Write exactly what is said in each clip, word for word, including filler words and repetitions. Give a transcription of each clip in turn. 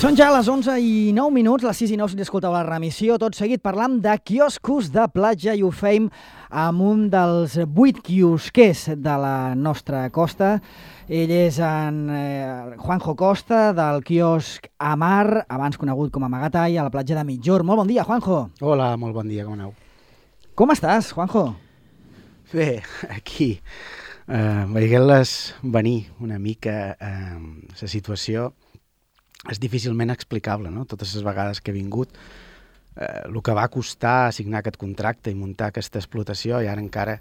Són ja les onze i nou minuts, les sis i nou si escolteu la remissió. Tot seguit parlam de quioscos de platja i ho feim amb un dels vuit quiosquers de la nostra costa. Ell és en eh, Juanjo Costa, del quiosc Amar, abans conegut com a Magatall, a la platja de Mitjorn. Molt bon dia, Juanjo. Hola, molt bon dia, com aneu? Com estàs, Juanjo? Bé, aquí, eh, veient-les venir una mica eh, la situació és difícilment explicable, no? Totes les vegades que he vingut, eh, el que va costar signar aquest contracte i muntar aquesta explotació, i ara encara,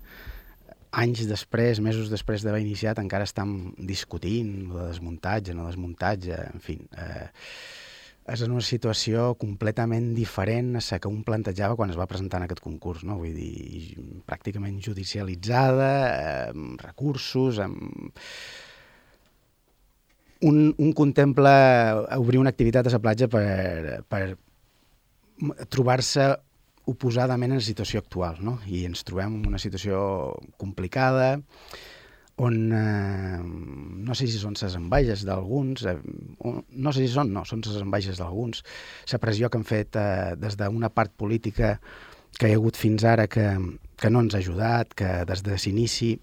anys després, mesos després d'haver iniciat, encara estem discutint de desmuntatge, no desmuntatge, en fi. Eh, és una situació completament diferent a la que un plantejava quan es va presentar en aquest concurs, no? Vull dir, pràcticament judicialitzada, eh, amb recursos, amb... Un, un contempla obrir una activitat a la platja per, per trobar-se oposadament en la situació actual, no? I ens trobem en una situació complicada on eh, no sé si són les enveges d'alguns, eh, no sé si són, no, són les enveges d'alguns, la pressió que han fet eh, des d'una part política que hi ha hagut fins ara que, que no ens ha ajudat, que des de l'inici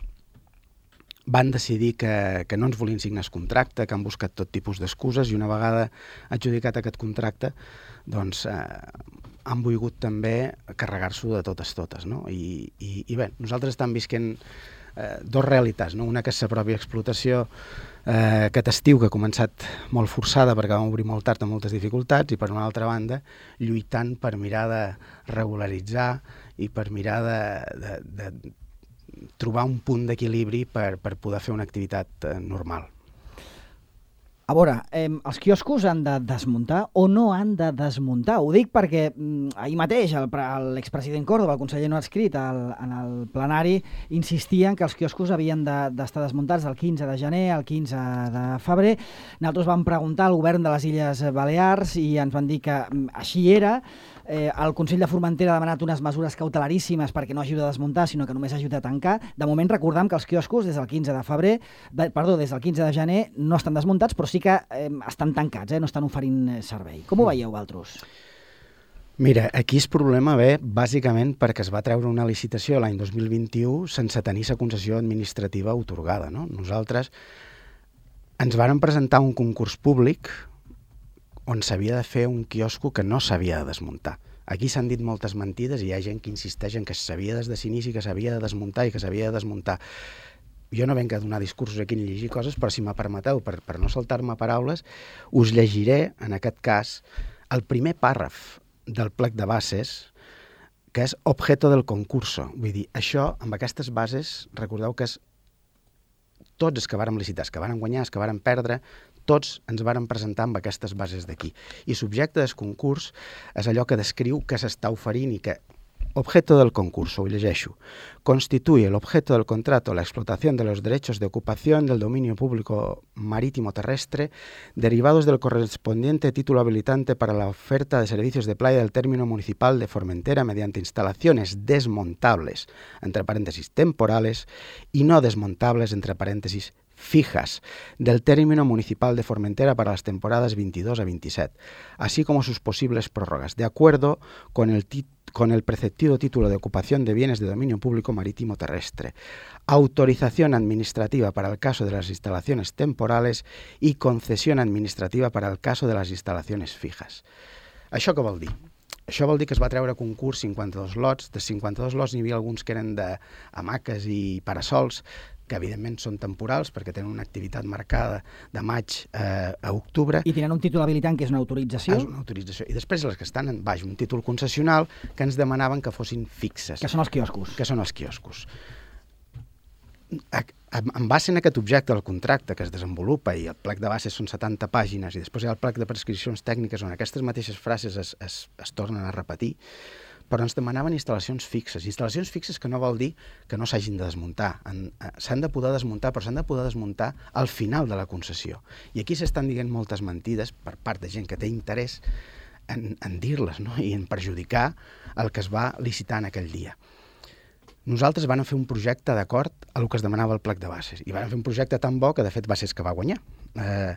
van decidir que, que no ens volien signar el contracte, que han buscat tot tipus d'excuses i una vegada adjudicat aquest contracte, doncs eh, han volgut també carregar-s'ho de totes totes, no? I, i, i bé, nosaltres estem visquent eh, dos realitats, no? Una que és la pròpia explotació eh, aquest estiu, que ha començat molt forçada perquè vam obrir molt tard amb moltes dificultats, i per una altra banda lluitant per mirar de regularitzar i per mirar de, de, de trobar un punt d'equilibri per, per poder fer una activitat eh, normal. A veure, eh, els quioscos han de desmuntar o no han de desmuntar? Ho dic perquè mm, ahir mateix l'expresident Córdoba, el conseller no adscrit, el, en el plenari, insistien que els quioscos havien d'estar de, desmuntats el quinze de gener al quinze de febrer. Nosaltres vam preguntar al govern de les Illes Balears i ens van dir que mm, així era. Eh, el Consell de Formentera ha demanat unes mesures cautelaríssimes perquè no ajuda a desmuntar, sinó que només ajuda a tancar. De moment recordem que els quioscos des del quinze de febrer, de, perdó, des del quinze de gener no estan desmuntats, però sí que eh, estan tancats, eh, no estan oferint servei. Com ho veieu, vosaltres? Mira, aquí el problema ve bàsicament perquè es va treure una licitació l'any dos mil vint-i-u sense tenir la concessió administrativa atorgada, no? Nosaltres ens vàrem presentar un concurs públic on s'havia de fer un quiosco que no s'havia de desmuntar. Aquí s'han dit moltes mentides i hi ha gent que insisteix en que s'havia des de l'inici, que s'havia de desmuntar i que s'havia de desmuntar. Jo no venc a donar discursos aquí ni llegir coses, però si me permeteu, per, per no saltar-me paraules, us llegiré, en aquest cas, el primer pàrraf del plec de bases, que és objeto del concurso. Vull dir, això, amb aquestes bases, recordeu que és tots els que vàrem licitar, els que vàrem guanyar, els que vàrem perdre, tots ens vàrem presentar amb aquestes bases d'aquí. I subjecte del concurs és allò que descriu que s'està oferint i que objeto del concurso, ho llegeixo, constituye el objeto del contrato la explotación de los derechos de ocupación del dominio público marítimo terrestre derivados del correspondiente título habilitante para la oferta de servicios de playa del término municipal de Formentera mediante instalaciones desmontables, entre paréntesis temporales, y no desmontables, entre paréntesis fijas, del término municipal de Formentera para las temporadas veintidós a veintisiete, así como sus posibles prórrogas, de acuerdo con el título con el preceptivo título de ocupación de bienes de dominio público marítimo terrestre, autorización administrativa para el caso de las instalaciones temporales y concesión administrativa para el caso de las instalaciones fijas. Això què vol dir? Això vol dir que es va treure a concurs cinquanta-dos lots. De cinquanta-dos lots n'hi havia alguns que eren d'hamaques i parasols, que evidentment són temporals perquè tenen una activitat marcada de maig eh, a octubre. I tenen un títol habilitant que és una autorització? És una autorització. I després les que estan en baix, un títol concessional, que ens demanaven que fossin fixes. Que són els quioscos. Que són els quioscos. En base en aquest objecte del contracte que es desenvolupa, i el plec de bases són setanta pàgines, i després hi ha el plec de prescripcions tècniques on aquestes mateixes frases es, es, es tornen a repetir, però ens demanaven instal·lacions fixes. Instal·lacions fixes que no vol dir que no s'hagin de desmuntar. S'han de poder desmuntar, però s'han de poder desmuntar al final de la concessió. I aquí s'estan dient moltes mentides per part de gent que té interès en, en dir-les, no? I en perjudicar el que es va licitar en aquell dia. Nosaltres vam fer un projecte d'acord a el que es demanava el plec de bases, i vam fer un projecte tan bo que de fet va ser el que va guanyar. Eh,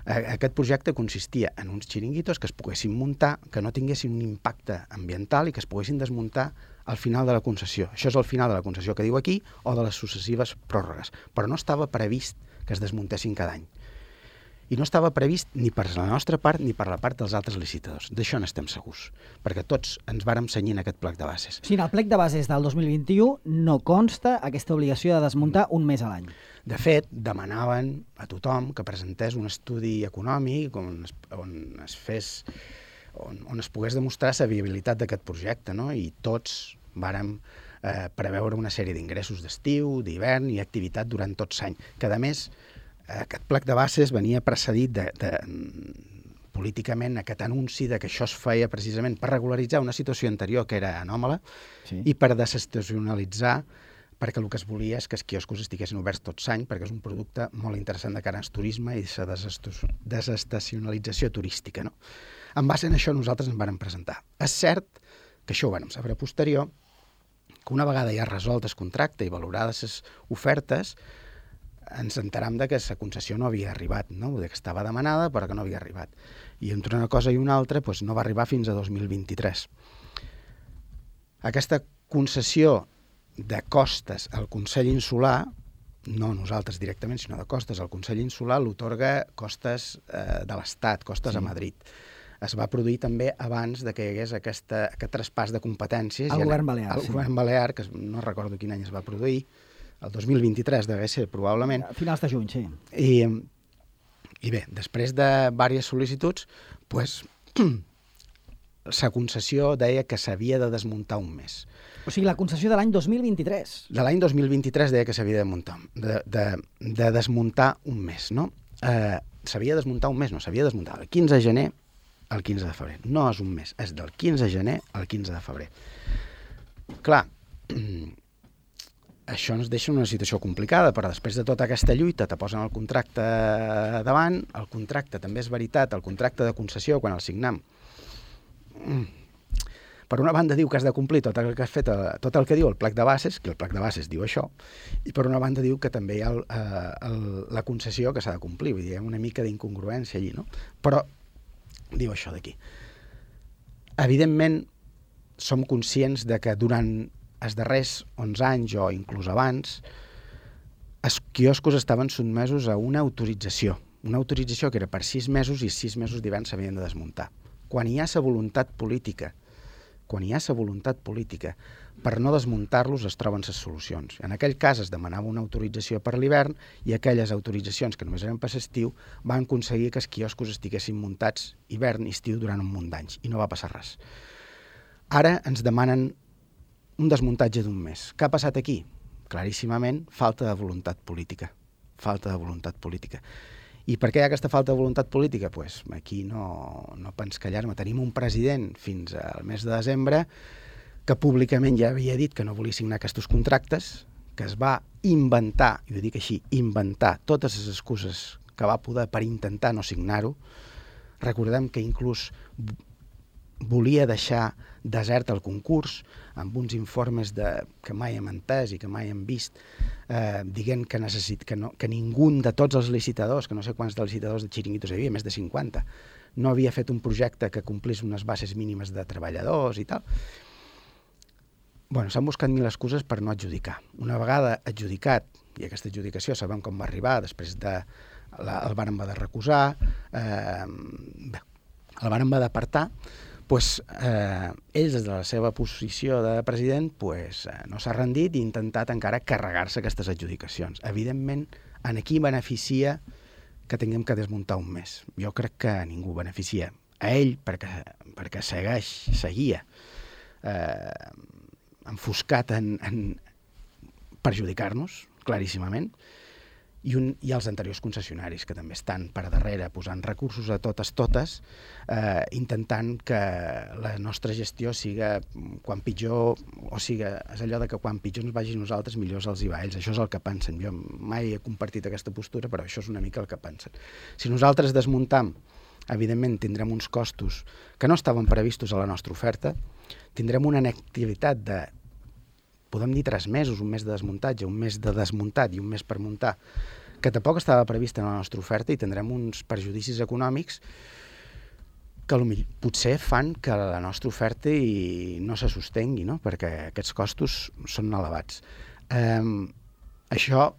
Aquest projecte consistia en uns xiringuitos que es poguessin muntar, que no tinguessin un impacte ambiental i que es poguessin desmuntar al final de la concessió. Això és el final de la concessió que diu aquí o de les successives pròrrogues. Però no estava previst que es desmuntessin cada any. I no estava previst ni per la nostra part ni per la part dels altres licitadors. D'això n'estem segurs, perquè tots ens vàrem cenyir en aquest plec de bases. O sigui, en el plec de bases del dos mil vint-i-u no consta aquesta obligació de desmuntar un mes a l'any. De fet, demanaven a tothom que presentés un estudi econòmic on es, on es fes, on, on es pogués demostrar la viabilitat d'aquest projecte, no? I tots vàrem eh, preveure una sèrie d'ingressos d'estiu, d'hivern i activitat durant tot l'any, que a més aquest plec de bases venia precedit de, de, políticament aquest anunci de que això es feia precisament per regularitzar una situació anterior que era anòmala, sí, i per desestacionalitzar, perquè el que es volia és que els quioscos estiguessin oberts tot l'any, perquè és un producte molt interessant de cara al turisme i la desestacionalització turística. No? En base a això nosaltres ens vam presentar. És cert que això ho vam saber a posterior, que una vegada ja resolt el contracte i valorades les ofertes, ens enteram de que la concessió no havia arribat, no? De que estava demanada però que no havia arribat. I entre una cosa i una altra doncs, no va arribar fins a dos mil vint-i-tres. Aquesta concessió de costes al Consell Insular, no nosaltres directament, sinó de costes al Consell Insular, l'otorga costes eh, de l'Estat, costes sí. a Madrid. Es va produir també abans de que hi hagués aquesta, aquest traspàs de competències. El govern balear. El sí. govern balear, que no recordo quin any es va produir, el dos mil vint-i-tres deve ser, probablement. A finals de juny, sí. I, i bé, després de diverses sol·licituds, pues, la concessió deia que s'havia de desmuntar un mes. O sigui, la concessió de l'any dos mil vint-i-tres. De l'any dos mil vint-i-tres deia que s'havia de, muntar, de, de, de desmuntar un mes, no? Eh, s'havia de desmuntar un mes, no, s'havia de desmuntar el quinze de gener al quinze de febrer. No és un mes, és del quinze de gener al quinze de febrer. Clar, això ens deixa una situació complicada, però després de tota aquesta lluita te posen el contracte davant, el contracte també és veritat, el contracte de concessió, quan el signam, per una banda diu que has de complir tot el que has fet, tot el que diu el plec de bases, que el plec de bases diu això, i per una banda diu que també hi ha el, el, la concessió que s'ha de complir, vull dir, hi ha una mica d'incongruència allí, no? Però diu això d'aquí. Evidentment, som conscients de que durant els darrers onze anys o inclús abans, els quioscos estaven sotmesos a una autorització, una autorització que era per sis mesos i sis mesos d'hivern s'havien de desmuntar. Quan hi ha la voluntat política, quan hi ha la voluntat política per no desmuntar-los es troben les solucions. En aquell cas es demanava una autorització per l'hivern i aquelles autoritzacions que només eren per l'estiu van aconseguir que els quioscos estiguessin muntats hivern i estiu durant un munt d'anys i no va passar res. Ara ens demanen un desmuntatge d'un mes. Què ha passat aquí? Claríssimament, falta de voluntat política. Falta de voluntat política. I per què hi ha aquesta falta de voluntat política? Pues aquí no, no pens callar-me. Tenim un president fins al mes de desembre que públicament ja havia dit que no volia signar aquests contractes, que es va inventar, i ho dic així, inventar totes les excuses que va poder per intentar no signar-ho. Recordem que inclús volia deixar desert el concurs amb uns informes de, que mai hem entès i que mai hem vist, eh, dient que, necessit, que, no, que ningú de tots els licitadors, que no sé quants de licitadors de xiringuitos hi havia, més de cinquanta, no havia fet un projecte que complís unes bases mínimes de treballadors i tal. Bueno, s'han buscat mil excuses per no adjudicar. Una vegada adjudicat, i aquesta adjudicació sabem com va arribar, després de, la, el vàrem haver de recusar, eh, bé, el vàrem haver d'apartar, pues, eh, ells des de la seva posició de president pues, eh, no s'ha rendit i ha intentat encara carregar-se aquestes adjudicacions. Evidentment, en aquí beneficia que tinguem que desmuntar un mes. Jo crec que ningú beneficia. A ell, perquè, perquè segueix, seguia eh, enfoscat en, en perjudicar-nos, claríssimament, i, un, i els anteriors concessionaris, que també estan per darrere posant recursos a totes, totes, eh, intentant que la nostra gestió siga quan pitjor, o siga, és allò de que quan pitjor ens vagi nosaltres, millor els hi va a ells. Això és el que pensen. Jo mai he compartit aquesta postura, però això és una mica el que pensen. Si nosaltres desmuntam, evidentment tindrem uns costos que no estaven previstos a la nostra oferta, tindrem una inactivitat de, podem dir tres mesos, un mes de desmuntatge, un mes de desmuntat i un mes per muntar, que tampoc estava prevista en la nostra oferta, i tindrem uns perjudicis econòmics que potser fan que la nostra oferta i no se sostengui, no? Perquè aquests costos són elevats. Eh, això,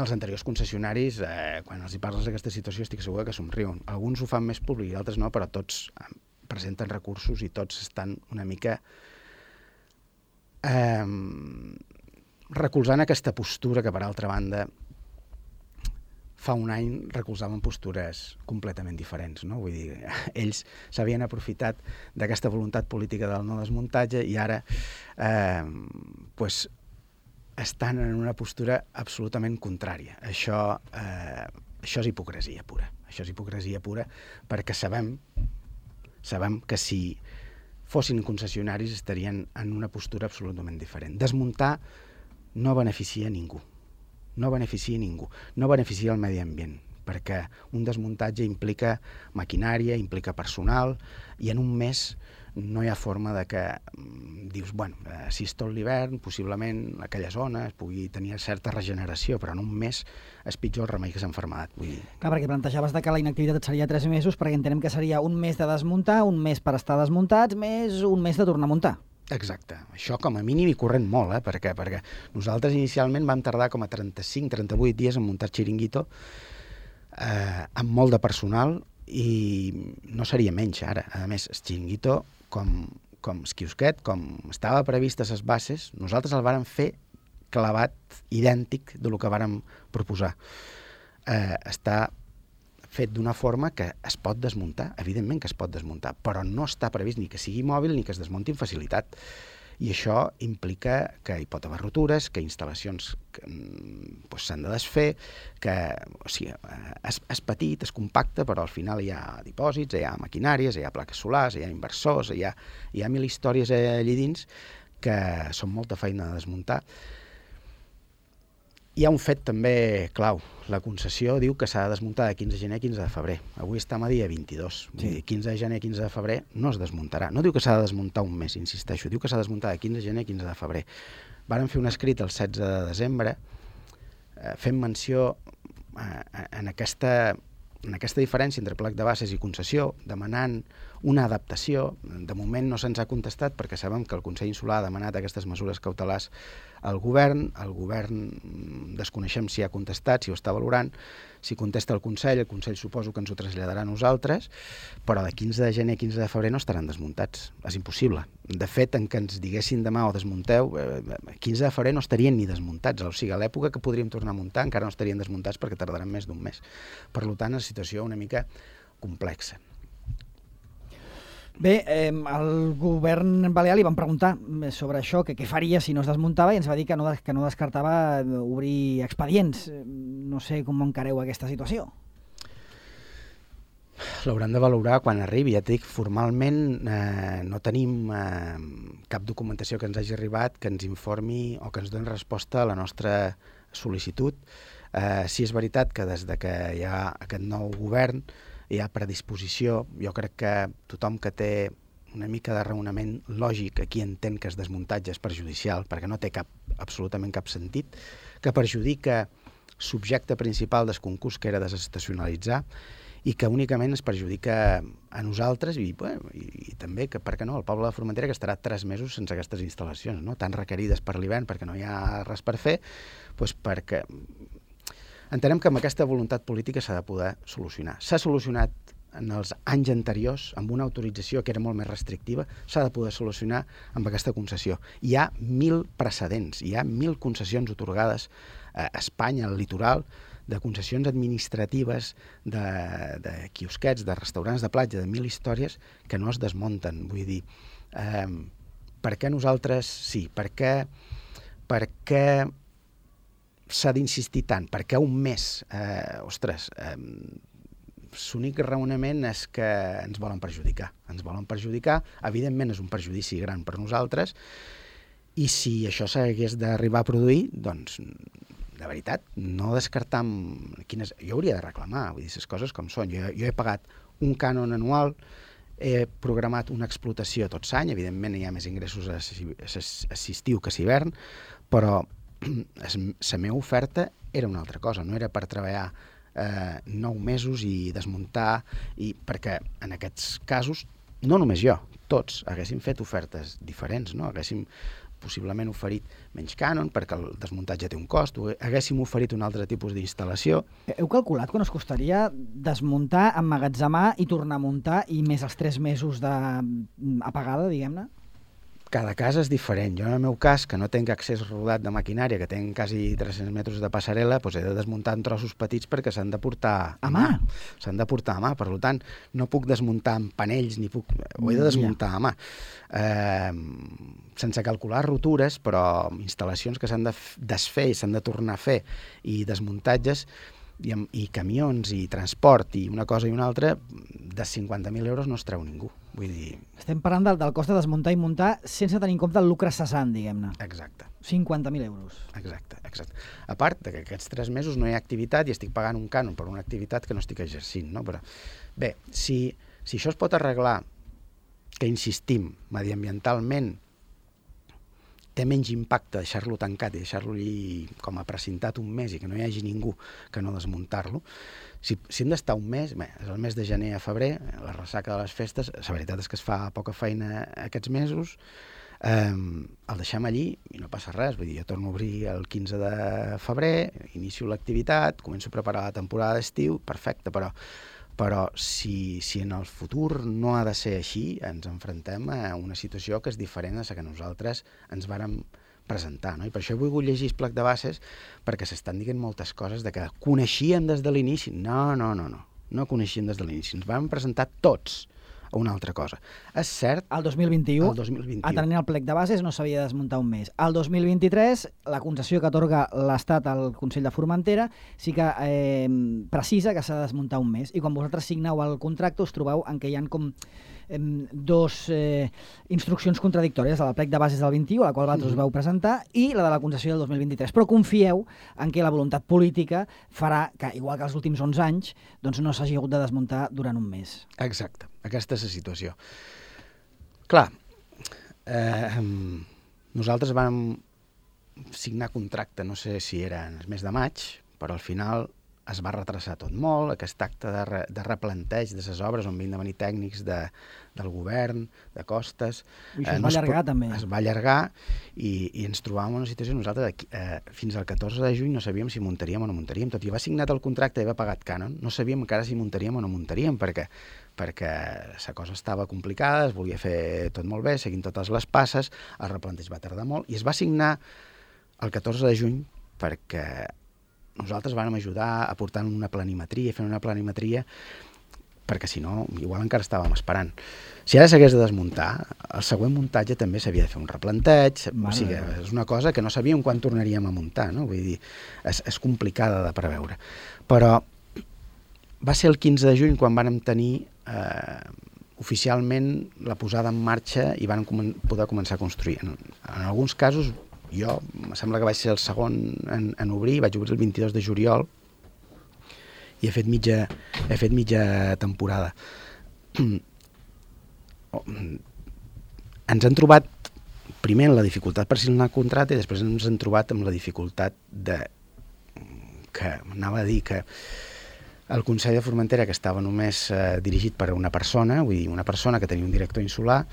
els anteriors concessionaris, eh, quan els hi parles d'aquesta situació, estic segur que somriuen. Alguns ho fan més públic i altres no, però tots presenten recursos i tots estan una mica eh, recolzant aquesta postura que, per altra banda, fa un any recolzaven postures completament diferents, no? Vull dir, ells s'havien aprofitat d'aquesta voluntat política del no desmuntatge i ara eh, pues, estan en una postura absolutament contrària. Això, eh, això és hipocresia pura. Això és hipocresia pura perquè sabem, sabem que si fossin concessionaris estarien en una postura absolutament diferent. Desmuntar no beneficia a ningú. No beneficia a ningú, no beneficia el medi ambient, perquè un desmuntatge implica maquinària, implica personal, i en un mes no hi ha forma de que dius, bueno, si és tot l'hivern, possiblement aquella zona es pugui tenir certa regeneració, però en un mes és pitjor el remei que s'enfermedat. Vull dir... Clar, perquè plantejaves que la inactivitat seria tres mesos, perquè entenem que seria un mes de desmuntar, un mes per estar desmuntats, més un mes de tornar a muntar. Exacte. Això com a mínim hi corrent molt, eh? Perquè, perquè nosaltres inicialment vam tardar com a trenta-cinc trenta-vuit dies en muntar Chiringuito, eh, amb molt de personal, i no seria menys ara. A més, el Chiringuito, com, com el quiosquet, com estava previst a les bases, nosaltres el vàrem fer clavat idèntic del que vàrem proposar. Eh, està fet d'una forma que es pot desmuntar, evidentment que es pot desmuntar, però no està previst ni que sigui mòbil ni que es desmunti amb facilitat. I això implica que hi pot haver rotures, que instal·lacions pues, s'han de desfer, que o sigui, és, és petit, és compacte, però al final hi ha dipòsits, hi ha maquinàries, hi ha plaques solars, hi ha inversors, hi ha, hi ha mil històries allà dins que són molta feina de desmuntar. Hi ha un fet també clau. La concessió diu que s'ha de desmuntar de quinze de gener a quinze de febrer. Avui estem a dia vint-i-dos. Sí. Vull dir, quinze de gener a quinze de febrer no es desmuntarà. No diu que s'ha de desmuntar un mes, insisteixo. Diu que s'ha de desmuntar de quinze de gener a quinze de febrer. Vàrem fer un escrit el setze de desembre eh, fent menció eh, en, aquesta, en aquesta diferència entre plec de bases i concessió, demanant una adaptació. De moment no se'ns ha contestat perquè sabem que el Consell Insular ha demanat aquestes mesures cautelars al govern, el govern desconeixem si ha contestat, si ho està valorant, si contesta el Consell, el Consell suposo que ens ho traslladarà a nosaltres, però de quinze de gener a quinze de febrer no estaran desmuntats, és impossible. De fet, en què ens diguessin demà o desmunteu, quinze de febrer no estarien ni desmuntats, o sigui, a l'època que podríem tornar a muntar encara no estarien desmuntats perquè tardaran més d'un mes. Per tant, és una situació una mica complexa. Bé, eh, al govern balear li van preguntar sobre això, que què faria si no es desmuntava, i ens va dir que no, que no descartava obrir expedients. No sé com encareu aquesta situació. L'hauran de valorar quan arribi. Ja et dic, formalment eh, no tenim eh, cap documentació que ens hagi arribat que ens informi o que ens doni resposta a la nostra sol·licitud. Eh, si és veritat que des de que hi ha aquest nou govern hi ha predisposició, jo crec que tothom que té una mica de raonament lògic aquí entén que el desmuntatge és perjudicial, perquè no té cap, absolutament cap sentit, que perjudica subjecte principal del concurs, que era desestacionalitzar, i que únicament es perjudica a nosaltres i, bueno, i, i també, que per què no, el poble de Formentera, que estarà tres mesos sense aquestes instal·lacions, no? Tan requerides per l'hivern perquè no hi ha res per fer, doncs perquè entenem que amb aquesta voluntat política s'ha de poder solucionar. S'ha solucionat en els anys anteriors amb una autorització que era molt més restrictiva, s'ha de poder solucionar amb aquesta concessió. Hi ha mil precedents, hi ha mil concessions atorgades a Espanya, al litoral, de concessions administratives, de, de quiosquets, de restaurants de platja, de mil històries que no es desmunten. Vull dir, eh, per què nosaltres sí? Per què, per què s'ha d'insistir tant? Perquè un mes, eh, ostres, eh, l'únic raonament és que ens volen perjudicar. Ens volen perjudicar, evidentment és un perjudici gran per nosaltres, i si això s'hagués d'arribar a produir, doncs, de veritat, no descartar quines... Jo hauria de reclamar, vull dir, les coses com són. Jo, jo he pagat un cànon anual, he programat una explotació tot l'any, evidentment hi ha més ingressos a l'estiu que a l'hivern, però la meva oferta era una altra cosa, no era per treballar eh, nou mesos i desmuntar, i perquè en aquests casos, no només jo, tots haguéssim fet ofertes diferents, no? Haguéssim possiblement oferit menys cànon perquè el desmuntatge té un cost, haguéssim oferit un altre tipus d'instal·lació. Heu calculat quan us costaria desmuntar, emmagatzemar i tornar a muntar i més els tres mesos d'apagada, diguem-ne? Cada cas és diferent. Jo, en el meu cas, que no tinc accés rodat de maquinària, que tinc quasi tres-cents metres de passarel·la, doncs he de desmuntar en trossos petits perquè s'han de portar a mà. S'han de portar a mà. Per tant, no puc desmuntar amb panells, ni puc... ho he de desmuntar a mà. Eh, sense calcular rotures, però instal·lacions que s'han de desfer i s'han de tornar a fer, i desmuntatges, i, i camions, i transport, i una cosa i una altra, de cinquanta mil euros no es treu ningú. Vull dir... Estem parlant del, del cost de desmuntar i muntar sense tenir en compte el lucre cessant, diguem-ne. Exacte. cinquanta mil euros. Exacte, exacte. A part de que aquests tres mesos no hi ha activitat i estic pagant un cànon per una activitat que no estic exercint, no? Però, bé, si, si això es pot arreglar, que insistim, mediambientalment, té menys impacte deixar-lo tancat i deixar-lo com a precintat un mes i que no hi hagi ningú que no desmuntar-lo. Si, si hem d'estar un mes, bé, és el mes de gener a febrer, la ressaca de les festes, la veritat és que es fa poca feina aquests mesos, eh, el deixem allí i no passa res. Vull dir, jo torno a obrir el quinze de febrer, inicio l'activitat, començo a preparar la temporada d'estiu, perfecte, però però si, si en el futur no ha de ser així, ens enfrontem a una situació que és diferent a la que nosaltres ens vàrem presentar, no? I per això he volgut llegir el plec de bases, perquè s'estan dient moltes coses de que coneixíem des de l'inici. No, no, no, no, no coneixíem des de l'inici. Ens vam presentar tots a una altra cosa. És cert... El dos mil vint-i-u, el dos mil vint-i-u. atenent el plec de bases, no s'havia de desmuntar un mes. El dos mil vint-i-tres, la concessió que atorga l'Estat al Consell de Formentera sí que eh, precisa que s'ha de desmuntar un mes. I quan vosaltres signeu el contracte us trobeu en què hi ha com eh, dos eh, instruccions contradictòries, la del plec de bases del vint-i-u, a la qual vosaltres us vau presentar, i la de la concessió del dos mil vint-i-tres. Però confieu en què la voluntat política farà que, igual que els últims onze anys, doncs no s'hagi hagut de desmuntar durant un mes. Exacte. Aquesta és la situació. Clar, eh, nosaltres vam signar contracte, no sé si era en el mes de maig, però al final es va retrasar tot molt, aquest acte de, re, de replanteig de les obres on havien de venir tècnics de, del govern, de costes. I això eh, es va no allargar, es, també. Es va allargar i, i ens trobàvem en una situació, nosaltres eh, fins al catorze de juny no sabíem si muntaríem o no muntaríem, tot i va signat el contracte i va pagat cànon, no sabíem encara si muntaríem o no muntaríem, perquè perquè la cosa estava complicada, es volia fer tot molt bé, seguint totes les passes, el replanteig va tardar molt, i es va signar el catorze de juny perquè nosaltres vam ajudar aportant una planimetria, fent una planimetria, perquè si no, igual encara estàvem esperant. Si ara s'hagués de desmuntar, el següent muntatge també s'havia de fer un replanteig, o sigui, és una cosa que no sabíem quan tornaríem a muntar, no? Vull dir, és, és complicada de preveure. Però va ser el quinze de juny quan vam tenir eh, oficialment la posada en marxa i van com poder començar a construir. En, en alguns casos, jo, em sembla que vaig ser el segon en, en obrir, vaig obrir el vint-i-dos de juliol i he fet mitja, he fet mitja temporada. Ens han trobat primer en la dificultat per signar el contracte i després ens han trobat amb la dificultat de que anava a dir que el Consell de Formentera, que estava només eh, dirigit per una persona, vull dir, una persona que tenia un director insular,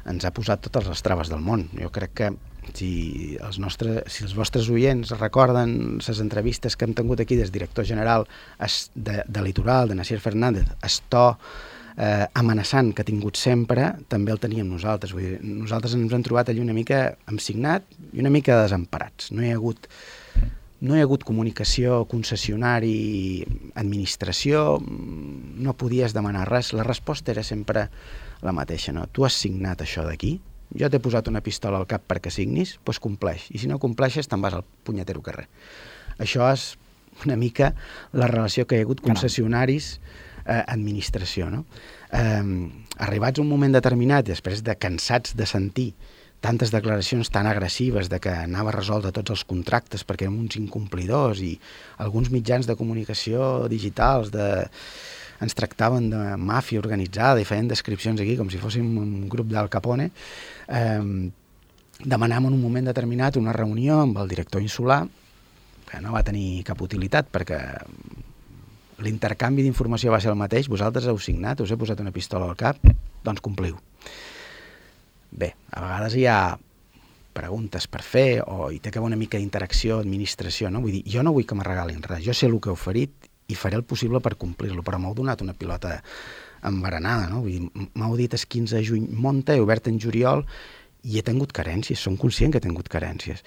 ens ha posat totes les traves del món. Jo crec que si els, nostres, si els vostres oients recorden les entrevistes que hem tingut aquí des director general de, de Litoral, de Nasier Fernández, el to eh, amenaçant que ha tingut sempre, també el teníem nosaltres. Vull dir, nosaltres ens hem trobat allí una mica emsignat i una mica desemparats. No hi ha hagut... No hi ha hagut comunicació, concessionari, administració, no podies demanar res. La resposta era sempre la mateixa, no? Tu has signat això d'aquí, jo t'he posat una pistola al cap perquè signis, doncs compleix. I si no compleixes, te'n vas al punyetero carrer. Això és una mica la relació que hi ha hagut concessionaris, eh, administració, no? Eh, arribats a un moment determinat, després de cansats de sentir tantes declaracions tan agressives de que anava resolt de tots els contractes perquè érem uns incomplidors i alguns mitjans de comunicació digitals de... ens tractaven de màfia organitzada i feien descripcions aquí com si fóssim un grup d'Al Capone, eh, demanàvem en un moment determinat una reunió amb el director insular, que no va tenir cap utilitat perquè l'intercanvi d'informació va ser el mateix, vosaltres heu signat, us he posat una pistola al cap, doncs compliu. Bé, a vegades hi ha preguntes per fer o hi té que haver una mica d'interacció, administració, no? Vull dir, jo no vull que me regalin res, jo sé el que heu oferit i faré el possible per complir-lo, però m'heu donat una pilota embaranada, no? Vull dir, m'heu dit el quinze de juny monta, he obert en juliol i he tingut carències, som conscient que he tingut carències,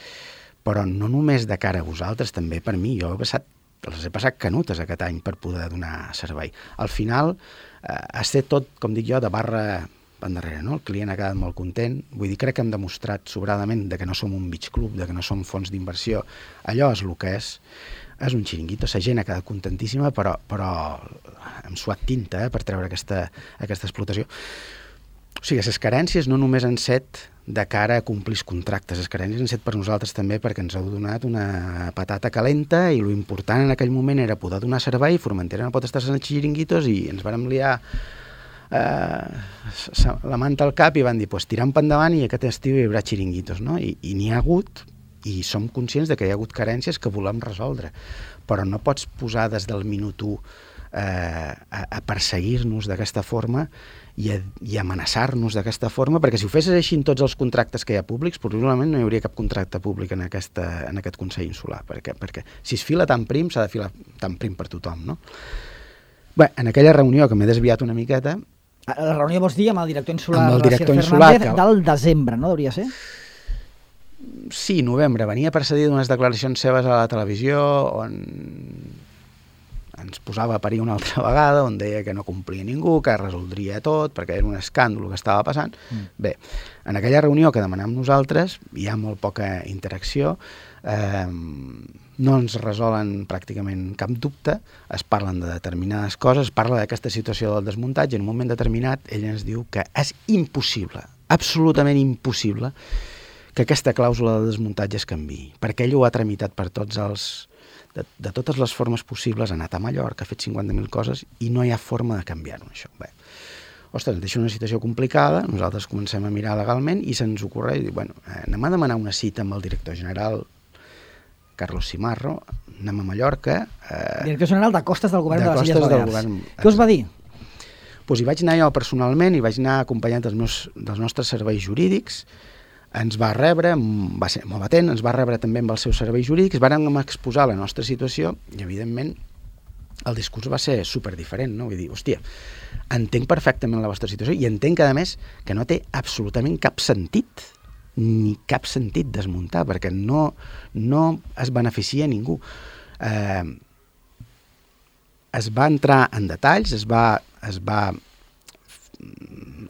però no només de cara a vosaltres, també per mi, jo he passat, les he passat canutes aquest any per poder donar servei. Al final, eh, ha estat tot, com dic jo, de barra endarrere, no? El client ha quedat molt content, vull dir, crec que hem demostrat sobradament de que no som un beach club, de que no som fons d'inversió, allò és el que és, és un xiringuito, la gent ha quedat contentíssima, però, però hem suat tinta eh, per treure aquesta, aquesta explotació. O sigui, les carències no només han set de cara a complir els contractes, les carències han set per nosaltres també perquè ens heu donat una patata calenta i lo important en aquell moment era poder donar servei, Formentera no pot estar sense xiringuitos i ens vàrem liar eh, la manta al cap i van dir, pues tirant per endavant i aquest estiu hi haurà xiringuitos, no? I, i n'hi ha hagut i som conscients de que hi ha hagut carències que volem resoldre, però no pots posar des del minut u eh, a, a perseguir-nos d'aquesta forma i, a, i amenaçar-nos d'aquesta forma, perquè si ho fessis així en tots els contractes que hi ha públics, probablement no hi hauria cap contracte públic en, aquesta, en aquest Consell Insular, perquè, perquè si es fila tan prim, s'ha de filar tan prim per tothom, no? Bé, en aquella reunió, que m'he desviat una miqueta... La reunió vols dir amb el director insular, amb el director insular Fernández, que... del desembre, no? Hauria ser? Sí, novembre. Venia precedit d'unes declaracions seves a la televisió on ens posava a parir una altra vegada, on deia que no complia ningú, que resoldria tot, perquè era un escàndol que estava passant. Mm. Bé, en aquella reunió que demanàvem nosaltres, hi ha molt poca interacció, eh, no ens resolen pràcticament cap dubte, es parlen de determinades coses, es parla d'aquesta situació del desmuntatge, en un moment determinat ell ens diu que és impossible, absolutament impossible, que aquesta clàusula de desmuntatge es canviï, perquè ell ho ha tramitat per tots els... De, de totes les formes possibles, ha anat a Mallorca, ha fet cinquanta mil coses i no hi ha forma de canviar-ho, això. Bé, ostres, ens deixa una situació complicada, nosaltres comencem a mirar legalment i se'ns ocorre i dir, bueno, anem a demanar una cita amb el director general Carlos Simarro, anem a Mallorca... Eh, director general de Costes del Govern de, de les Illes Balears. Govern... Què us va dir? Pues hi vaig anar jo personalment, hi vaig anar acompanyat dels, meus, dels nostres serveis jurídics, ens va rebre, va ser molt atent, ens va rebre també amb els seus serveis jurídics, vàrem exposar la nostra situació i, evidentment, el discurs va ser superdiferent, no? Vull dir, hòstia, entenc perfectament la vostra situació i entenc, a més, que no té absolutament cap sentit, ni cap sentit desmuntar, perquè no, no es beneficia ningú. Eh, es va entrar en detalls, es va... Es va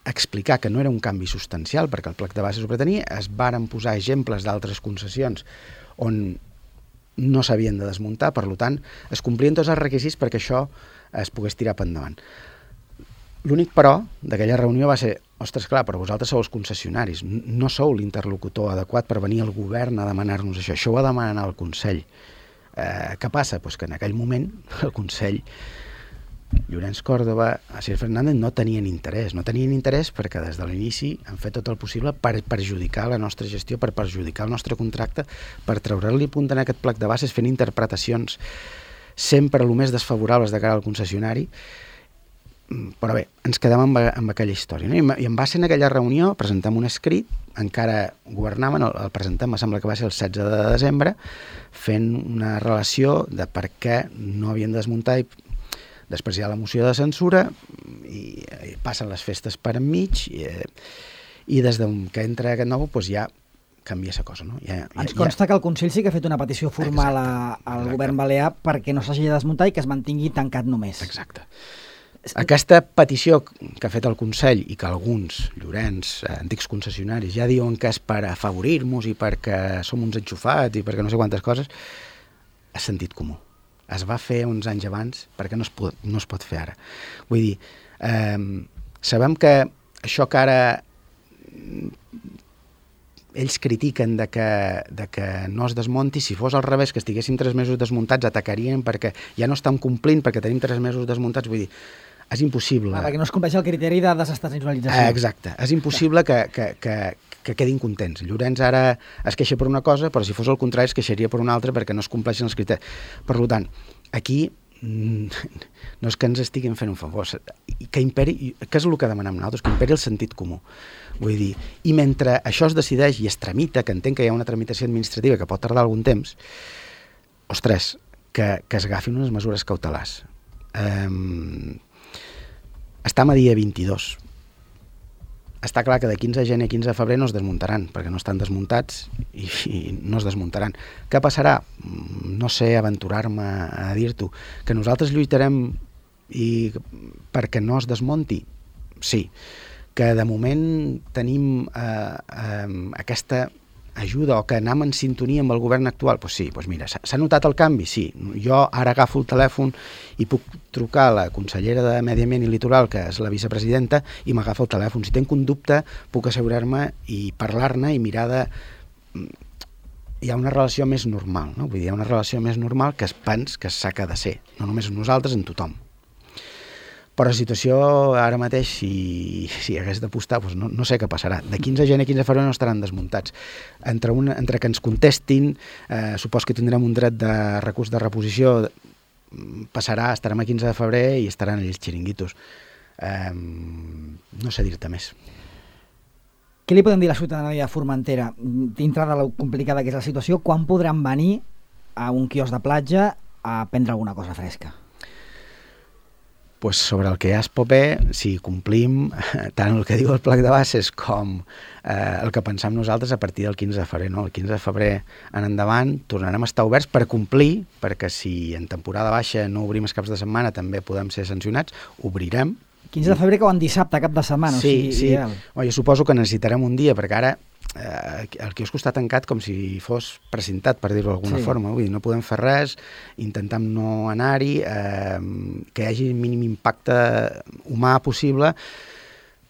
explicar que no era un canvi substancial perquè el plec de bases ho pretenia, es varen posar exemples d'altres concessions on no s'havien de desmuntar, per tant, es complien tots els requisits perquè això es pogués tirar per endavant. L'únic, però, d'aquella reunió va ser, ostres, clar, però vosaltres sou els concessionaris, no sou l'interlocutor adequat per venir al govern a demanar-nos això, això ho ha de demanar el Consell. Eh, què passa? Pues que en aquell moment el Consell Llorenç Còrdova, Asier Fernández no tenien interès, no tenien interès perquè des de l'inici han fet tot el possible per perjudicar la nostra gestió, per perjudicar el nostre contracte, per treure-li punt en aquest plec de bases fent interpretacions sempre el més desfavorables de cara al concessionari, però bé, ens quedem amb, amb aquella història, no? I en base en aquella reunió presentem un escrit, encara governaven, el, el presentem, em sembla que va ser el setze de desembre, fent una relació de per què no havien de desmuntar i després hi ha la moció de censura i, i passen les festes per enmig i, i des que entra aquest nou doncs ja canvia la cosa. No? Ja, ja, Ens consta ja... que el Consell sí que ha fet una petició formal exacte, a, al exacte. govern balear perquè no s'hagi de desmuntar i que es mantingui tancat només. Exacte. Aquesta petició que ha fet el Consell i que alguns, Llorenç, antics concessionaris, ja diuen que és per afavorir-nos i perquè som uns enxufats i perquè no sé quantes coses, és sentit comú. Es va fer uns anys abans perquè no es pot, no es pot fer ara. Vull dir, eh, sabem que això que ara ells critiquen de que, de que no es desmonti, si fos al revés, que estiguéssim tres mesos desmuntats, atacarien perquè ja no estan complint perquè tenim tres mesos desmuntats, vull dir, és impossible. Ah, perquè no es compleix el criteri de desestacionalització. Eh, exacte, és impossible que, que, que, que quedin contents. Llorenç ara es queixa per una cosa, però si fos el contrari es queixaria per una altra perquè no es compleixen els criteris. Per tant, aquí no és que ens estiguin fent un favor, que imperi, què és el que demanem nosaltres? Que imperi el sentit comú. Vull dir, i mentre això es decideix i es tramita, que entenc que hi ha una tramitació administrativa que pot tardar algun temps, ostres, que, que es agafin unes mesures cautelars. Um, estem a dia vint-i-dos. Està clar que de quinze de gener a quinze de febrer no es desmuntaran, perquè no estan desmuntats i, i no es desmuntaran. Què passarà? No sé aventurar-me a dir-t'ho. Que nosaltres lluitarem i perquè no es desmunti? Sí. Que de moment tenim eh, eh, aquesta ajuda o que anem en sintonia amb el govern actual? Doncs pues sí, pues mira, s'ha notat el canvi? Sí. Jo ara agafo el telèfon i puc trucar a la consellera de Medi Ambient i Litoral, que és la vicepresidenta, i m'agafa el telèfon. Si tenc un dubte, puc assegurar-me i parlar-ne i mirar de... Hi ha una relació més normal, no? Vull dir, hi ha una relació més normal que es pens que s'ha de ser, no només nosaltres, en tothom. Però la situació ara mateix, si, si hagués d'apostar, doncs no, no sé què passarà. De quinze de gener a quinze de febrer no estaran desmuntats. Entre, una, entre que ens contestin, eh, supos que tindrem un dret de recurs de reposició, passarà, estarem a quinze de febrer i estaran ells xiringuitos. Eh, no sé dir-te més. Què li podem dir a la ciutadania de Formentera, dintre de la complicada que és la situació, quan podran venir a un quiosc de platja a prendre alguna cosa fresca? Pues sobre el que ja es pot bé, si complim tant el que diu el plec de bases com eh, el que pensam nosaltres a partir del quinze de febrer. No? El quinze de febrer en endavant tornarem a estar oberts per complir, perquè si en temporada baixa no obrim els caps de setmana també podem ser sancionats, obrirem. quinze de febrer que van dissabte, cap de setmana. Sí, o sigui, sí. Ideal. Oh, jo suposo que necessitarem un dia, perquè ara eh, el quiosc està tancat com si fos precintat, per dir-ho d'alguna sí. forma. Vull dir, no podem fer res, intentem no anar-hi, eh, que hi hagi el mínim impacte humà possible.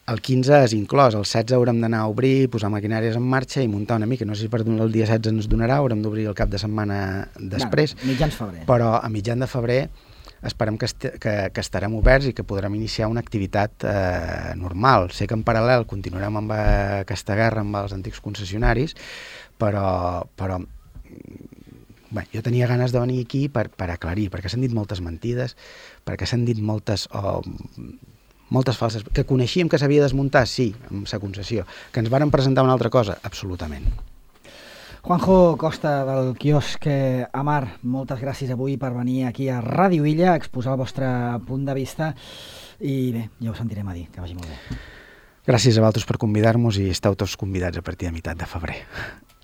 El quinze és inclòs, el setze haurem d'anar a obrir, posar maquinàries en marxa i muntar una mica. No sé si per el dia setze ens donarà, haurem d'obrir el cap de setmana després. Bueno, mitjans febrer. Però a mitjan de febrer esperem que, est que, que estarem oberts i que podrem iniciar una activitat eh, normal. Sé que en paral·lel continuarem amb aquesta guerra amb els antics concessionaris, però, però bé, jo tenia ganes de venir aquí per, per aclarir, perquè s'han dit moltes mentides, perquè s'han dit moltes... Oh, moltes falses... Que coneixíem que s'havia de desmuntar, sí, amb sa concessió. Que ens varen presentar una altra cosa, absolutament. Juanjo Costa, del quiosc Amar, moltes gràcies avui per venir aquí a Ràdio Illa a exposar el vostre punt de vista i bé, ja ho sentirem a dir, que vagi molt bé. Gràcies a vosaltres per convidar-nos i esteu tots convidats a partir de meitat de febrer.